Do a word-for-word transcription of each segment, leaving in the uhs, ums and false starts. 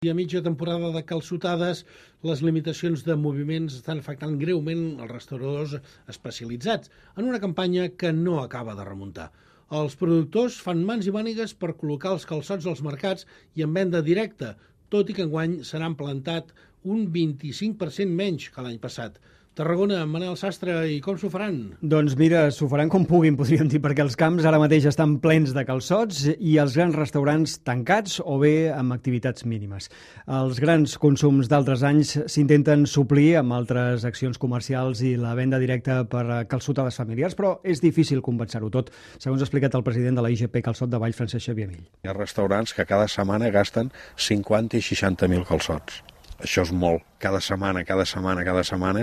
I a mitja temporada de calçotades, les limitacions de moviments estan afectant greument els restauradors especialitzats en una campanya que no acaba de remuntar. Els productors fan mans i mànigues per col·locar els calçots als mercats i en venda directa, tot i que enguany se n'han plantat un vint-i-cinc per cent menys que l'any passat. Tarragona, Manel Sastre, i com s'ho faran? Doncs mira, s'ho faran com puguin, podríem dir, perquè els camps ara mateix estan plens de calçots i els grans restaurants tancats o bé amb activitats mínimes. Els grans consums d'altres anys s'intenten suplir amb altres accions comercials i la venda directa per calçotades familiars, però és difícil compensar-ho tot, segons ha explicat el president de la I G P Calçot de Valls, Francesc Xavier Mill. Hi ha restaurants que cada setmana gasten cinquanta i seixanta mil calçots. Això és molt. Cada setmana, cada setmana, cada setmana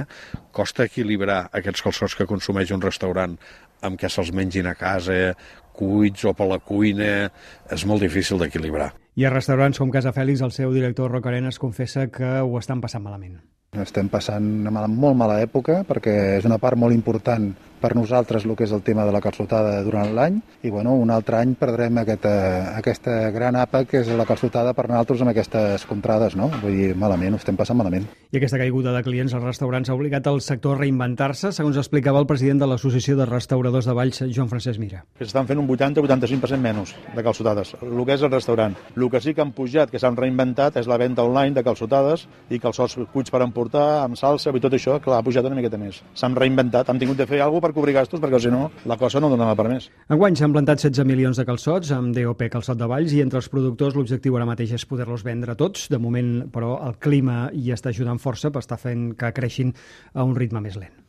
costa equilibrar aquests calçots que consumeix un restaurant amb què se'ls mengin a casa, cuits o per la cuina. És molt difícil d'equilibrar. I a restaurants com Casa Fèlix, el seu director Roc Arenas confessa que ho estan passant malament. Estem passant una mala, molt mala època perquè és una part molt important per nosaltres el que és el tema de la calçotada durant l'any i bueno, un altre any perdrem aquesta, aquesta gran àpat que és la calçotada per nosaltres amb aquestes contrades, no? Vull dir, malament, ho estem passant malament. I aquesta caiguda de clients als restaurants ha obligat el sector a reinventar-se, segons explicava el president de l'Associació de Restauradors de Valls, Joan Francesc Mira. Que s'estan fent un vuitanta a vuitanta-cinc per cent menys de calçotades, el que és el restaurant. El que sí que han pujat, que s'han reinventat, és la venda online de calçotades i calçots cuits per emportar, amb salsa i tot això, clar, ha pujat una miqueta més. S'han reinventat, han tingut de fer alguna cosa per cobrir gastos, perquè si no, la cosa no donava per més. Enguany s'han plantat setze milions de calçots amb D O P Calçot de Valls i entre els productors l'objectiu ara mateix és poder-los vendre tots. De moment, però, el clima hi està ajudant força per estar fent que creixin a un ritme més lent.